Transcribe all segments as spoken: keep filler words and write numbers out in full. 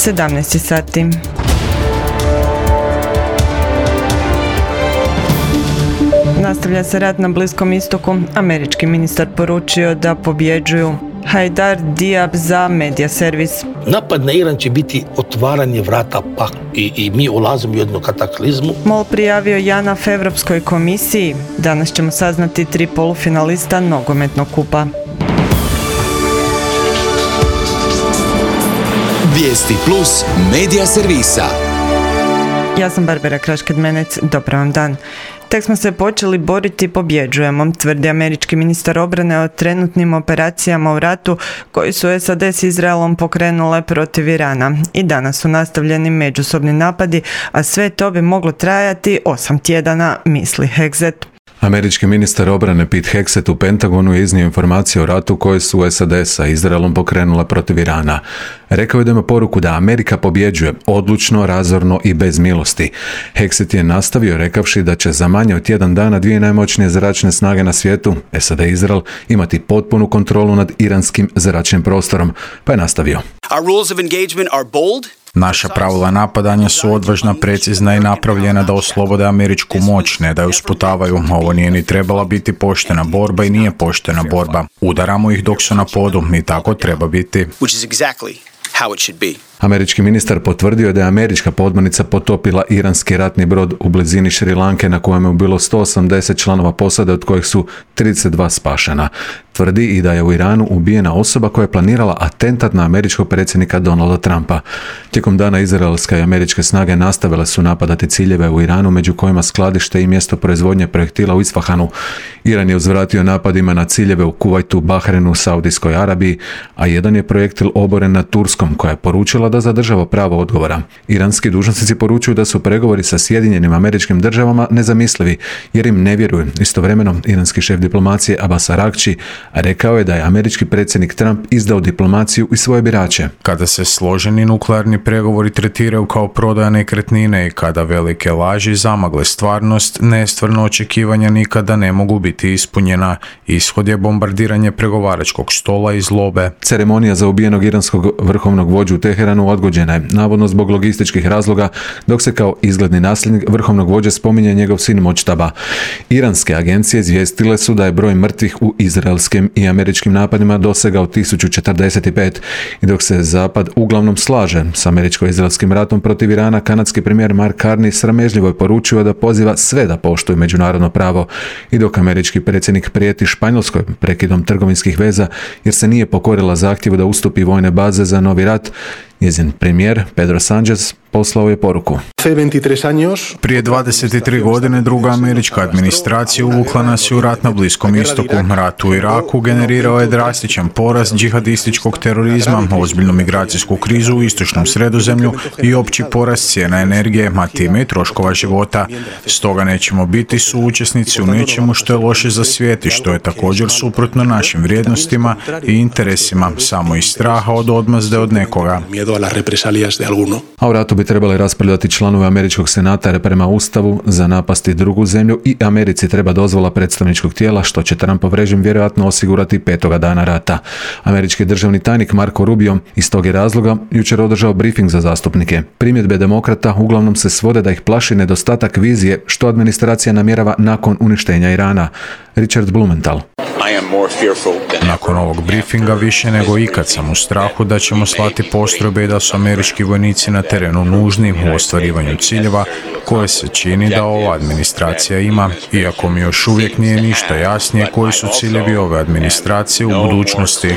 sedamnaest sati. Nastavlja se rat na Bliskom istoku. Američki ministar poručio da pobjeđuju. Hajdar Diab za medija servis. Napad na Iran će biti otvaranje vrata pa i, i mi ulazimo u jednu kataklizmu. MOL prijavio JANAF Evropskoj komisiji. Danas ćemo saznati tri polufinalista nogometnog kupa. Vijesti plus medija servisa. Ja sam Barbara Krašked-Menec, dobar vam dan. Tek smo se počeli boriti, pobjeđujemo, tvrdi američki ministar obrane o trenutnim operacijama u ratu koji su S A D s Izraelom pokrenule protiv Irana. I danas su nastavljeni međusobni napadi, a sve to bi moglo trajati osam tjedana, misli Hegseth. Američki ministar obrane Pete Hegseth u Pentagonu je iznio informacije o ratu koje su S A D sa Izraelom pokrenula protiv Irana. Rekao je da ima poruku da Amerika pobjeđuje odlučno, razorno i bez milosti. Hegseth je nastavio rekavši da će za manje od tjedan dana dvije najmoćnije zračne snage na svijetu, S A D i Izrael, imati potpunu kontrolu nad iranskim zračnim prostorom, pa je nastavio. Our rules of engagement are bold. Naša pravila napadanja su odvažna, precizna i napravljena da oslobode američku moć, ne da ju sputavaju. Ovo nije ni trebala biti poštena borba i nije poštena borba. Udaramo ih dok su na podu i tako treba biti. Which is exactly how it should be. Američki ministar potvrdio da je američka podmornica potopila iranski ratni brod u blizini Šri Lanke na kojem je bilo sto osamdeset članova posade, od kojih su trideset dva spašena. Tvrdi i da je u Iranu ubijena osoba koja je planirala atentat na američkog predsjednika Donalda Trumpa. Tijekom dana izraelske i američke snage nastavile su napadati ciljeve u Iranu, među kojima skladište i mjesto proizvodnje projektila u Isfahanu. Iran je uzvratio napadima na ciljeve u Kuvajtu, Bahrenu, Saudijskoj Arabiji, a jedan je projektil oboren nad Turskom, koja je poručila da zadržava pravo odgovora. Iranski dužnosnici poručuju da su pregovori sa Sjedinjenim Američkim Državama nezamislivi, jer im ne vjeruju. Istovremeno, iranski šef diplomacije Abbas Araghči rekao je da je američki predsjednik Trump izdao diplomaciju i svoje birače. Kada se složeni nuklearni pregovori tretiraju kao prodaja nekretnine i kada velike laži zamagle stvarnost, nestvarno očekivanja nikada ne mogu biti ispunjena. Ishod je bombardiranje pregovaračkog stola i zlobe. Ceremonija za ubijenog iranskog vrhovnog vođu u Teheranu odgođena je, navodno zbog logističkih razloga, dok se kao izgledni nasljednik vrhovnog vođe spominje njegov sin Močtaba. Iranske agencije izvijestile su da je broj mrtvih u izraelskim i američkim napadima dosegao tisuću četrdeset pet i dok se Zapad uglavnom slaže s američko-izraelskim ratom protiv Irana, kanadski premijer Mark Carney sramežljivo je poručio da poziva sve da poštuju međunarodno pravo i dok američki predsjednik prijeti Španjolskoj prekidom trgovinskih veza jer se nije pokorila zahtjevu da ustupi vojne baze za novi rat, njezin premijer Pedro Sánchez poslao je poruku. Prije dvadeset tri godine druga američka administracija uvukla nas je u rat na Bliskom istoku. Rat u Iraku generirao je drastičan porast džihadističkog terorizma, ozbiljnu migracijsku krizu u istočnom Sredozemlju i opći porast cijena energije, a time i troškova života. Stoga nećemo biti suučesnici u nečemu što je loše za svijet i što je također suprotno našim vrijednostima i interesima, samo iz straha od odmazde od nekoga. A u ratu bi trebali raspravljati članovi američkog senata jer prema ustavu za napasti drugu zemlju i Americi treba dozvola predstavničkog tijela, što će Trumpov režim vjerojatno osigurati petoga dana rata. Američki državni tajnik Marco Rubio iz tog je razloga jučer održao brifing za zastupnike. Primjedbe demokrata uglavnom se svode da ih plaši nedostatak vizije što administracija namjerava nakon uništenja Irana. Richard Blumenthal. Nakon ovog briefinga više nego ikad sam u strahu da ćemo slati postrojbe i da su američki vojnici na terenu nužni u ostvarivanju ciljeva koje se čini da ova administracija ima, iako mi još uvijek nije ništa jasnije koji su ciljevi ove administracije u budućnosti.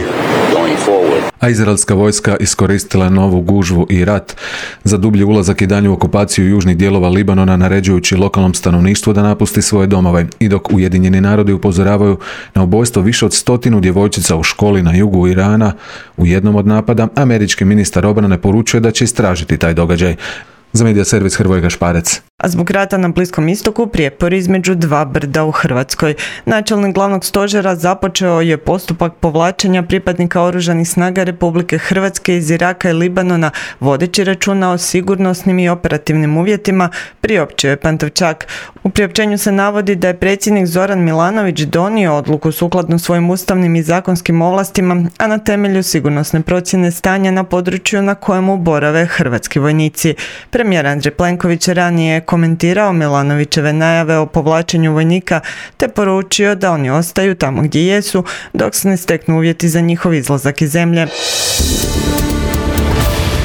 A izraelska vojska iskoristila je novu gužvu i rat za dublji ulazak i danju okupaciju južnih dijelova Libanona, naređujući lokalnom stanovništvu da napusti svoje domove. I dok Ujedinjeni narodi upozoravaju na ubojstvo više od stotinu djevojčica u školi na jugu Irana u jednom od napada, američki ministar obrane poručuje da će istražiti taj događaj. Za medija servis Hrvoje Gašparec. A zbog rata na Bliskom istoku prijepor između dva brda u Hrvatskoj. Načelnik glavnog stožera započeo je postupak povlačenja pripadnika oružanih snaga Republike Hrvatske iz Iraka i Libanona, vodeći računa o sigurnosnim i operativnim uvjetima, priopćio je Pantovčak. U priopćenju se navodi da je predsjednik Zoran Milanović donio odluku sukladno svojim ustavnim i zakonskim ovlastima, a na temelju sigurnosne procjene stanja na području na kojemu borave hrvatski vojnici. Premijer Andrej Plenković ranije je komentirao Milanovićeve najave o povlačenju vojnika te poručio da oni ostaju tamo gdje jesu dok se ne steknu uvjeti za njihov izlazak iz zemlje.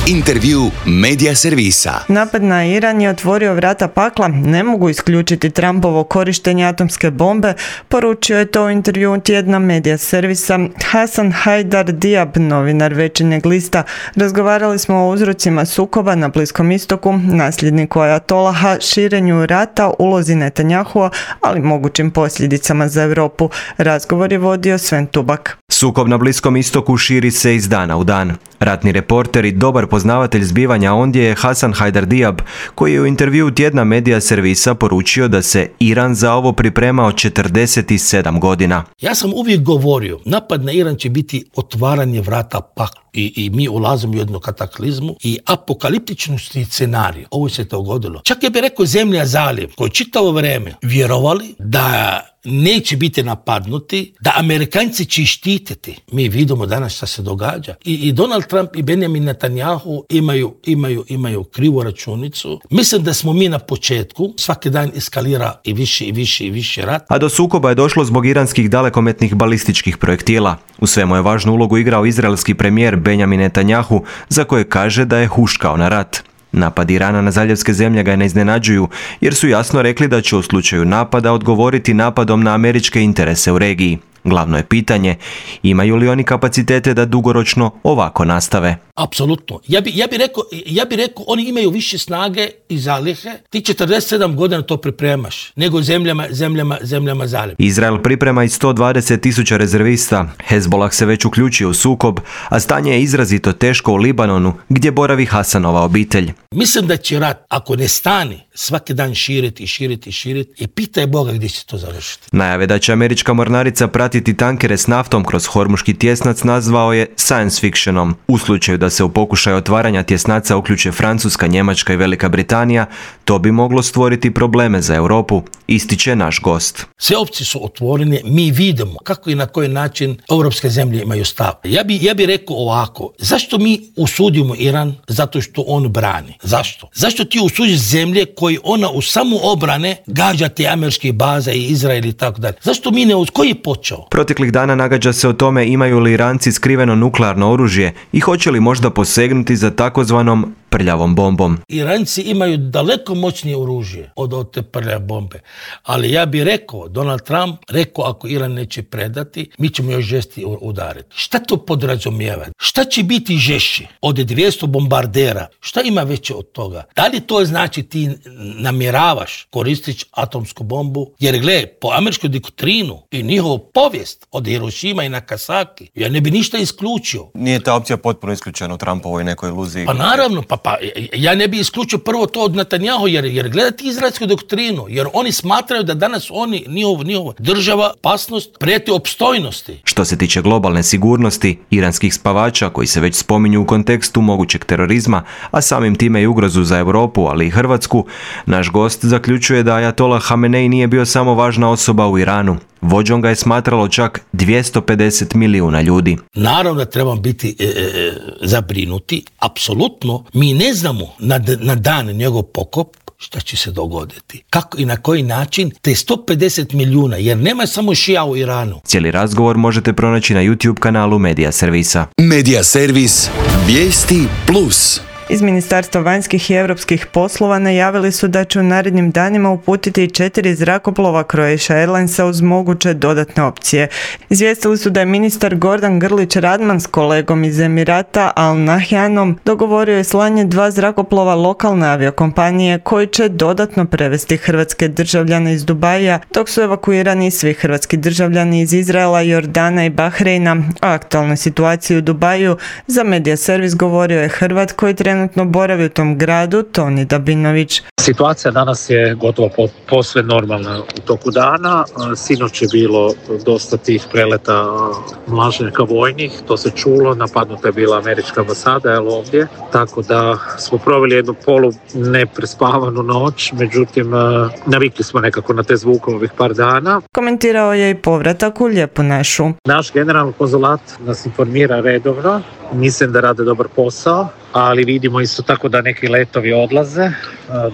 Intervju Medija servisa. Napad na Iran je otvorio vrata pakla, ne mogu isključiti Trumpovo korištenje atomske bombe, poručio je to u intervju tjedna Medija servisa Hasan Hajdar Diab, novinar Večernjeg lista. Razgovarali smo o uzrocima sukoba na Bliskom istoku, nasljedniku ajatolaha, širenju rata, ulozi Netanjahua, ali mogućim posljedicama za Europu. Razgovor je vodio Sven Tubak. Sukob na Bliskom istoku širi se iz dana u dan. Ratni reporter i dobar poznavatelj zbivanja ondje je Hasan Hajdar Diab, koji je u intervju tjedna Medija servisa poručio da se Iran za ovo pripremao četrdeset sedam godina. Ja sam uvijek govorio, napad na Iran će biti otvaranje vrata paklu i, i mi ulazimo u jednu kataklizmu i apokaliptičnu scenariju. Ovo se to dogodilo. Čak je bi rekao zemlja zaliv, koji čitavo vrijeme vjerovali da neće biti napadnuti, da Amerikanci će štititi. Mi vidimo danas šta se događa. I, i Donald Trump i Benjamin Netanyahu imaju, imaju, imaju krivu računicu. Mislim da smo mi na početku, svaki dan eskalira i više i više i više rat. A do sukoba je došlo zbog iranskih dalekometnih balističkih projektila. U svemu je važnu ulogu igrao izraelski premijer Benjamin Netanyahu, za koje kaže da je huškao na rat. Napad Irana na zaljevske zemlje ga ne iznenađuju, jer su jasno rekli da će u slučaju napada odgovoriti napadom na američke interese u regiji. Glavno je pitanje, imaju li oni kapacitete da dugoročno ovako nastave? Apsolutno. Ja bi, ja bi rekao, ja bi rekao, oni imaju više snage i zalihe. Ti četrdeset sedam godina to pripremaš, nego zemljama, zemljama, zemljama zalihe. Izrael priprema i sto dvadeset tisuća rezervista. Hezbollah se već uključio u sukob, a stanje je izrazito teško u Libanonu, gdje boravi Hasanova obitelj. Mislim da će rat, ako ne stani, svaki dan širiti i širiti i širiti i pitaj Boga gdje će to završiti. Najave da će američka mornarica pratiti tankere s naftom kroz Hormuški tjesnac nazvao je science fictionom. U slučaju da se u pokušaju otvaranja tjesnaca uključe Francuska, Njemačka i Velika Britanija, to bi moglo stvoriti probleme za Europu, ističe naš gost. Sve opcije su otvorene, mi vidimo kako i na koji način europske zemlje imaju stav. Ja bi, ja bi rekao ovako, zašto mi usudimo Iran? Zato što on brani. Zašto? Zašto ti usudiš zemlje koji ona u samu obrane gađa te američke baze i Izrael i tako dalje? Zašto mi ne, koji je počeo? Proteklih dana nagađa se o tome imaju li Iranci skriveno nuklearno oružje i hoće li možda posegnuti za takozvanom prljavom bombom. Iranci imaju daleko moćnije oružje od, od te prljave bombe. Ali ja bih rekao, Donald Trump rekao ako Iran neće predati, mi ćemo još žesti udariti. Šta to podrazumijeva? Šta će biti žešće od dvjesto bombardera? Šta ima veće od toga? Da li to znači ti namjeravaš koristiti atomsku bombu? Jer gle, po američkoj doktrinu i njihovu povijest od Hirošima i Nagasaki, ja ne bi ništa isključio. Nije ta opcija potpuno isključena u Trumpovoj nekoj iluziji? Pa naravno, pa, pa ja ne bi isključio prvo to od Netanyahu, jer, jer gledati izraelsku doktrinu, jer oni smatraju da danas oni, njihov, njihova država, opasnost, prijeti opstojnosti. Što se tiče globalne sigurnosti, iranskih spavača koji se već spominju u kontekstu mogućeg terorizma, a samim time i ugrozu za Europu, ali i Hrvatsku, naš gost zaključuje da ajatolah Hamenei nije bio samo važna osoba u Iranu. Vođom ga je smatralo čak dvjesto pedeset milijuna ljudi. Naravno da trebamo biti e, e, zabrinuti. Apsolutno, mi ne znamo na, na dan njegov pokop šta će se dogoditi. Kako i na koji način te sto pedeset milijuna, jer nema samo šija u Iranu. Cijeli razgovor možete pronaći na YouTube kanalu Medija servisa. Medija servis, vijesti plus. Iz Ministarstva vanjskih i europskih poslova najavili su da će u narednim danima uputiti četiri zrakoplova Croatia Airlinesa uz moguće dodatne opcije. Izvijestili su da je ministar Gordan Grlić Radman s kolegom iz Emirata Al Nahyanom dogovorio je slanje dva zrakoplova lokalne aviokompanije koji će dodatno prevesti hrvatske državljane iz Dubaija, dok su evakuirani svi hrvatski državljani iz Izraela, Jordana i Bahreina. O aktualnoj situaciji u Dubaju za Medija servis govorio je Hrvat koji trenutno trenutno boravi u tom gradu, Toni Dabinović. Situacija danas je gotovo posve normalna u toku dana. Sinoć je bilo dosta tih preleta mlaženjaka vojnih, to se čulo, napadnuta je bila američka ambasada, jel, ovdje, tako da smo proveli jednu polu neprespavanu noć, međutim navikli smo nekako na te zvukove ovih par dana. Komentirao je i povratak u Lijepu našu. Naš generalni konzulat nas informira redovno, mislim da rade dobar posao, ali vidimo isto tako da neki letovi odlaze,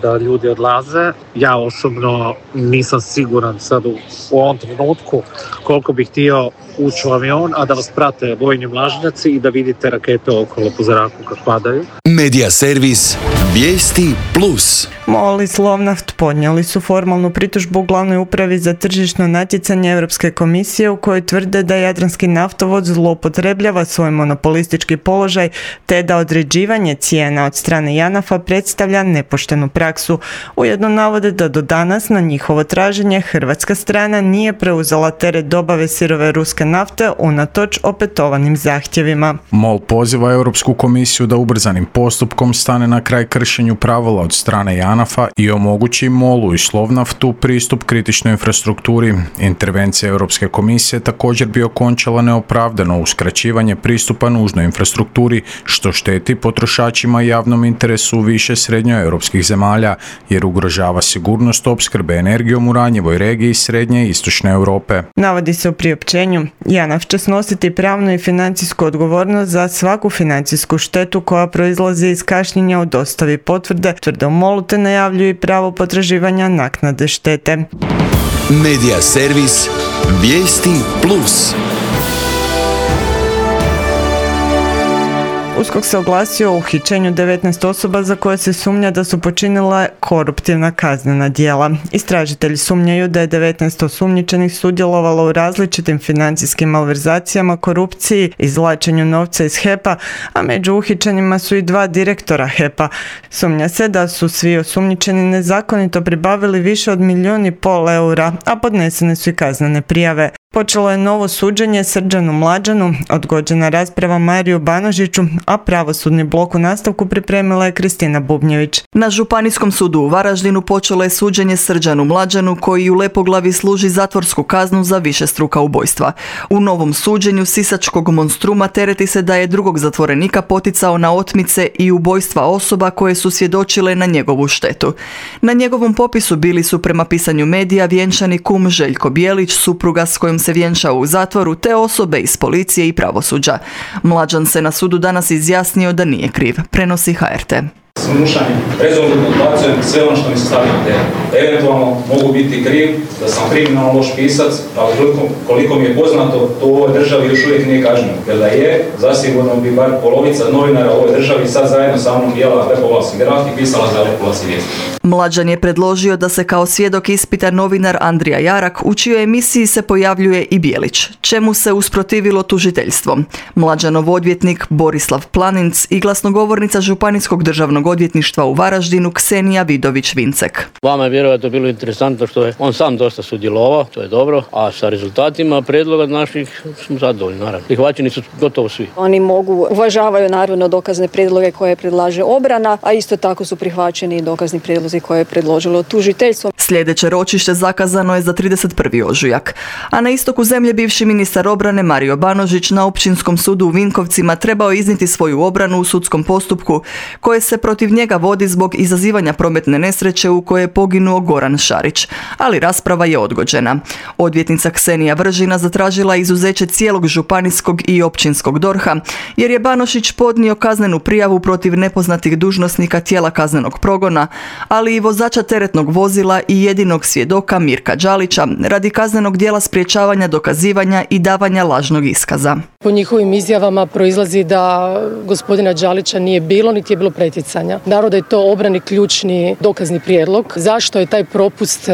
da ljudi odlaze. Ja osobno nisam siguran sad u, u ovom trenutku koliko bih htio ući u avion, a da vas prate vojni mlažnjaci i da vidite rakete okolo po zraku kad padaju. Medija servis Vijesti Plus. MOL i Slovnaft podnijeli su formalnu pritužbu u glavnoj upravi za tržišno natjecanje Europske komisije u kojoj tvrde da Jadranski naftovod zloupotrebljava svoj monopolistički položaj te da određivanje cijena od strane JANAF-a predstavlja nepoštenu praksu. Ujedno navode da do danas na njihovo traženje hrvatska strana nije preuzela teret dobave sirove ruske nafte unatoč opetovanim zahtjevima. MOL poziva Europsku komisiju da ubrzanim postupkom stane na kraj kršenju pravila od strane JANAF-a i omogući MOL-u i Slovnaftu pristup kritičnoj infrastrukturi. Intervencija Europske komisije također bi okončala neopravdano uskraćivanje pristupa nužnoj infrastrukturi, što šteti potrošačima i javnom interesu više srednjoeuropskih zemalja, jer ugrožava sigurnost opskrbe energijom u ranjivoj regiji srednje i istočne Europe. Navodi se u priopćenju, JANAF će snositi pravnu i financijsku odgovornost za svaku financijsku štetu koja proizlazi iz kašnjenja u dostavi potvrde, tvrde u MOL-u, te najavljuju i pravo potraživanja naknade štete. Medija servis Vijesti Plus. USKOK se oglasio o uhićenju devetnaest osoba za koje se sumnja da su počinile koruptivna kaznena djela. Istražitelji sumnjaju da je devetnaest osumnjičenih sudjelovalo u različitim financijskim malverzacijama, korupciji, izvlačenju novca iz H E P-a, a među uhićenima su i dva direktora H E P-a. Sumnja se da su svi osumnjičeni nezakonito pribavili više od milijun i pol eura, a podnesene su i kaznene prijave. Počelo je novo suđenje Srđanu Mlađanu, odgođena rasprava Mariju Banožiću, a pravosudni blok u nastavku pripremila je Kristina Bubnjević. Na Županijskom sudu u Varaždinu počelo je suđenje Srđanu Mlađanu, koji u Lepoglavi služi zatvorsku kaznu za višestruka ubojstva. U novom suđenju sisačkog monstruma tereti se da je drugog zatvorenika poticao na otmice i ubojstva osoba koje su svjedočile na njegovu štetu. Na njegovom popisu bili su, prema pisanju medija, vjenčani kum Željko Bijelić, supruga s kojom se vjenčao u zatvoru, te osobe iz policije i pravosuđa. Mlađan se na sudu danas izjasnio da nije kriv, prenosi H R T. Slušanjem, rezolutno odbacujem sve ono što mi se stavlja na teren. Eventualno mogu biti kriv da sam kriminalno loš pisac, ali koliko, koliko mi je poznato, to u ovoj državi još uvijek nije kažnjeno. Jer da je, zasigurno bi bar polovica novinara u ovoj državi sad zajedno sa mnom bijela Lepoglavski graf i pisala za Lepoglavski vijesti. Mlađan je predložio da se kao svjedok ispita novinar Andrija Jarak, u čijoj emisiji se pojavljuje i Bijelić, čemu se usprotivilo tužiteljstvo. Mlađanov odvjetnik Borislav Planinc i glasnogovornica Županijskog državnog odvjetništva u Varaždinu Ksenija Vidović-Vincek. Vama je vjerojatno bilo interesantno što je on sam dosta sudjelovao, to je dobro, a sa rezultatima prijedloga naših smo zadovoljni, naravno. Prihvaćeni su gotovo svi. Oni mogu, uvažavaju naravno dokazne prijedloge koje predlaže obrana, a isto tako su prihvaćeni i dokazni prijedlozi koje je predložilo tužiteljstvo. Sljedeće ročište zakazano je za trideset prvi ožujak. A na istoku zemlje bivši ministar obrane Mario Banožić na Općinskom sudu u Vinkovcima trebao iznijeti svoju obranu u sudskom postupku koje se protiv njega vodi zbog izazivanja prometne nesreće u kojoj je poginuo Goran Šarić, ali rasprava je odgođena. Odvjetnica Ksenija Vržina zatražila izuzeće cijelog županijskog i općinskog dorha, jer je Banožić podnio kaznenu prijavu protiv nepoznatih dužnosnika tijela kaznenog progona, ali i vozača teretnog vozila i jedinog svjedoka Mirka Đalića radi kaznenog djela sprječavanja dokazivanja i davanja lažnog iskaza. Po njihovim izjavama proizlazi da gospodina Đalića nije bilo, niti je bilo pretjecanja. pitanja. Naravno da je to obrani ključni dokazni prijedlog. Zašto je taj propust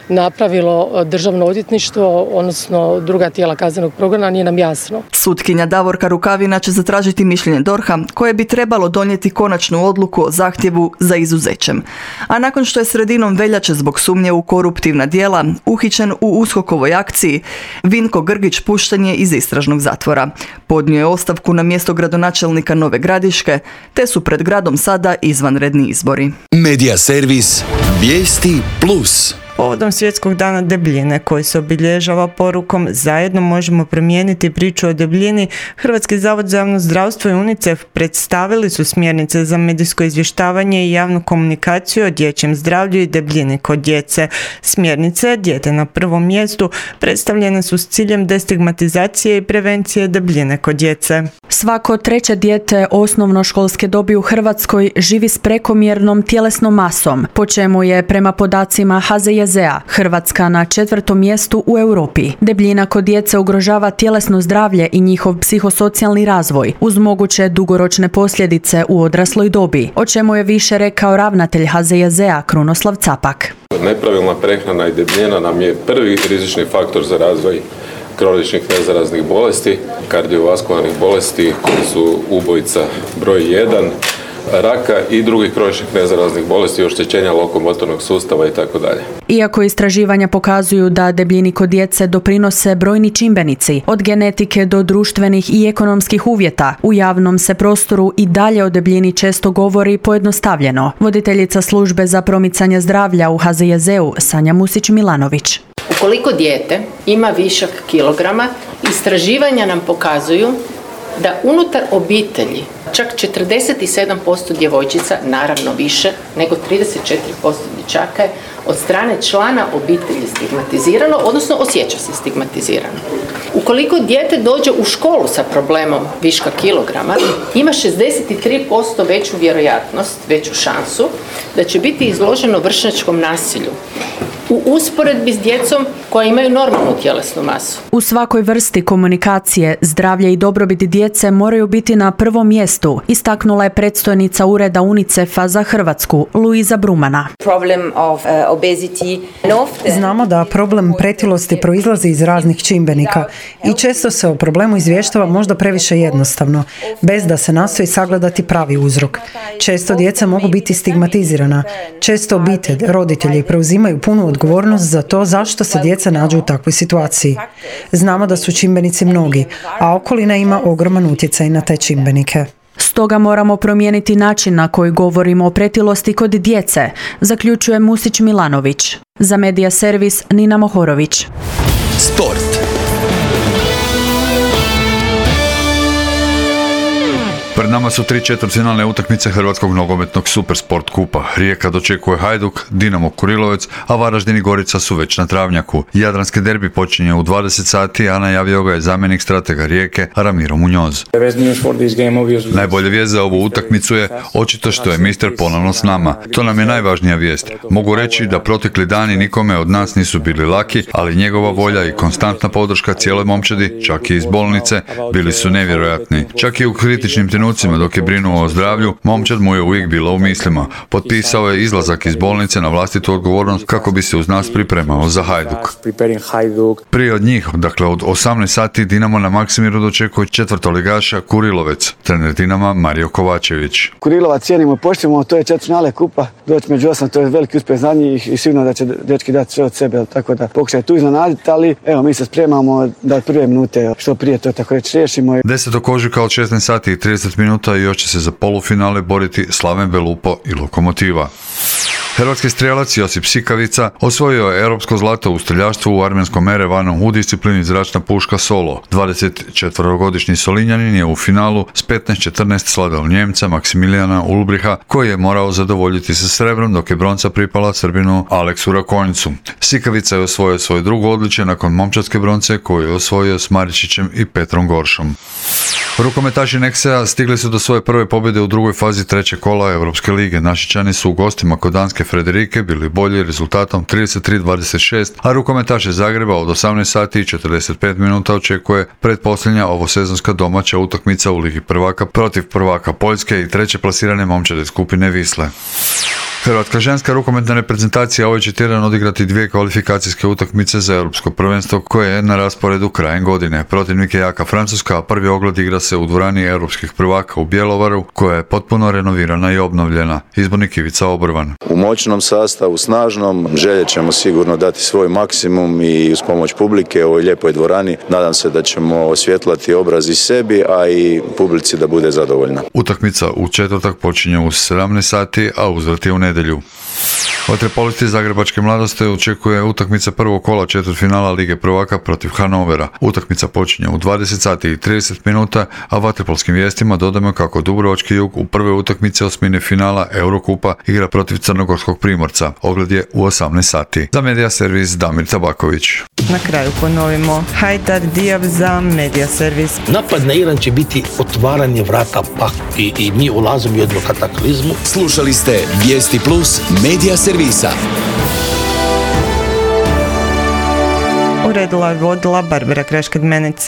napravilo Državno odvjetništvo, odnosno druga tijela kaznenog progona, nije nam jasno. Sutkinja Davorka Rukavina će zatražiti mišljenje D O R H-a koje bi trebalo donijeti konačnu odluku o zahtjevu za izuzećem. A nakon što je sredinom veljače zbog sumnje u koruptivna djela uhićen u USKOK-ovoj akciji, Vinko Grgić pušten je iz istražnog zatvora. Podnio je ostavku na mjesto gradonačelnika Nove Gradiške, te su pred gradom sada izvanredni izbori. Medija servis Vijesti plus. Povodom Svjetskog dana debljine koji se obilježava porukom zajedno možemo promijeniti priču o debljini, Hrvatski zavod za javno zdravstvo i UNICEF predstavili su smjernice za medijsko izvještavanje i javnu komunikaciju o dječjem zdravlju i debljini kod djece. Smjernice Dijete na prvom mjestu predstavljene su s ciljem destigmatizacije i prevencije debljine kod djece. Svako treće dijete osnovnoškolske dobi u Hrvatskoj živi s prekomjernom tjelesnom masom, po čemu je prema podacima H Z J Z-a Hrvatska na četvrtom mjestu u Europi. Debljina kod djece ugrožava tjelesno zdravlje i njihov psihosocijalni razvoj, uz moguće dugoročne posljedice u odrasloj dobi, o čemu je više rekao ravnatelj H Z J Z-a Krunoslav Capak. Nepravilna prehrana i debljina nam je prvi rizični faktor za razvoj kroničnih nezaraznih bolesti, kardiovaskularnih bolesti koji su ubojica broj jedan, raka i drugih kroničnih nezaraznih bolesti, oštećenja lokomotornog sustava i tako dalje. Iako istraživanja pokazuju da debljini kod djece doprinose brojni čimbenici, od genetike do društvenih i ekonomskih uvjeta, u javnom se prostoru i dalje o debljini često govori pojednostavljeno. Voditeljica službe za promicanje zdravlja u H Z J Z-u Sanja Musić-Milanović. Ukoliko dijete ima višak kilograma, istraživanja nam pokazuju da unutar obitelji čak četrdeset sedam posto djevojčica, naravno više nego trideset četiri posto dječaka je od strane člana obitelji stigmatizirano, odnosno osjeća se stigmatizirano. Ukoliko dijete dođe u školu sa problemom viška kilograma, ima šezdeset tri posto veću vjerojatnost, veću šansu da će biti izloženo vršnjačkom nasilju u usporedbi s djecom koja imaju normalnu tjelesnu masu. U svakoj vrsti komunikacije zdravlje i dobrobit djece moraju biti na prvom mjestu, istaknula je predstojnica ureda UNICEF-a za Hrvatsku, Luiza Brumana. Znamo da problem pretilosti proizlazi iz raznih čimbenika i često se o problemu izvještava možda previše jednostavno, bez da se nastoji sagledati pravi uzrok. Često djeca mogu biti stigmatizirana. Često obitelj, roditelji preuzimaju punu odgovornost za to zašto se djeca nađu u takvoj situaciji. Znamo da su čimbenici mnogi, a okolina ima ogroman utjecaj na te čimbenike. Stoga moramo promijeniti način na koji govorimo o pretilosti kod djece, zaključuje Musić Milanović. Za Medija servis Nina Mohorović. Sport. Pred nama su tri četvrtfinalne utakmice Hrvatskog nogometnog Supersport kupa. Rijeka dočekuje Hajduk, Dinamo Kurilovec, a Varaždin i Gorica su već na travnjaku. Jadranski derbi počinje u dvadeset sati, a najavio ga je zamjenik stratega Rijeke Ramiro Muñoz. Najbolja vijest za ovu utakmicu je očito što je mister ponovno s nama. To nam je najvažnija vijest. Mogu reći da protekli dani nikome od nas nisu bili laki, ali njegova volja i konstantna podrška cijeloj momčadi, čak i iz bolnice, bili su nevjerojatni. Čak i u kritičnim trenucima dok je brinuo o zdravlju, momčad mu je uvijek bila u mislima. Potpisao je izlazak iz bolnice na vlastitu odgovornost kako bi se uz nas pripremao za Hajduk. Prije od njih, dakle od osamnaest sati, Dinamo na Maksimiru dočekuje četvrtoligaša Kurilovec, trener Dinama Mario Kovačević. Kurilovac cijenimo i poštujemo, to je četvrtfinale kupa, doći među osam, to je veliki uspjeh za njih i sigurno da će dečki dati sve od sebe, tako da pokušaj tu iznenaditi, ali evo mi se spremamo da od prve minute što prije to tako reći riješimo. desetog ožujka od šesnaest sati i trideset minuta i još će se za polufinale boriti Slaven Belupo i Lokomotiva. Hrvatski strijelac Josip Sikavica osvojio je europsko zlato u streljaštvu u armenskom Erevanu u disciplini zračna puška solo. dvadesetčetverogodišnji Solinjanin je u finalu s petnaest četrnaest sladao Njemca Maksimilijana Ulbriha, koji je morao zadovoljiti se srebrom, dok je bronca pripala Srbinu Aleksu Rakonjicu. Sikavica je osvojio svoje drugo odličje nakon momčadske bronce koju je osvojio s Maričićem i Petrom Goršom. Rukometaši Neksea stigli su do svoje prve pobjede u drugoj fazi trećeg kola Europske lige. Našičani su u gostima kod danske Frederike bili bolji rezultatom trideset tri dvadeset šest, a rukometaše Zagreba od osamnaest sati i četrdeset pet minuta očekuje pretposljednja ovosezonska domaća utakmica u Ligi prvaka protiv prvaka Poljske i treće plasirane momčade skupine Wisle. Hrvatska ženska rukometna reprezentacija ovaj će tjedan odigrati dvije kvalifikacijske utakmice za europsko prvenstvo koje je na rasporedu krajem godine. Protivnik je jaka Francuska, a prvi ogled igra se u dvorani europskih prvaka u Bjelovaru, koja je potpuno renovirana i obnovljena. Izbornik Ivica Obrvan. U moćnom sastavu, snažnom, željet ćemo sigurno dati svoj maksimum i uz pomoć publike u ovoj lijepoj dvorani. Nadam se da ćemo osvjetlati obraz i sebi, a i publici da bude zadovoljna. Utakmica u četvrtak počinje u sedamnaest sati, a uzvrat je u nedjelju. Vaterpolisti Zagrebačke mladosti očekuje utakmica prvog kola četvrtfinala Lige prvaka protiv Hanovera. Utakmica počinje u dvadeset sati i trideset minuta, a vaterpolskim vijestima dodajemo kako Dubrovački Jug u prvoj utakmici osmine finala Eurokupa igra protiv Crnogorskog Primorca. Ogled je u osamnaest sati. Za Medija servis Damir Tabaković. Na kraju ponovimo. Hajdar Diab za Medija servis. Napad na Iran će biti otvaranje vrata pak i, i mi ulazimo u jednu kataklizmu. Slušali ste Vijesti Plus Medija servisa. Uredila je vodila Barbara Kraš-Kadmenec.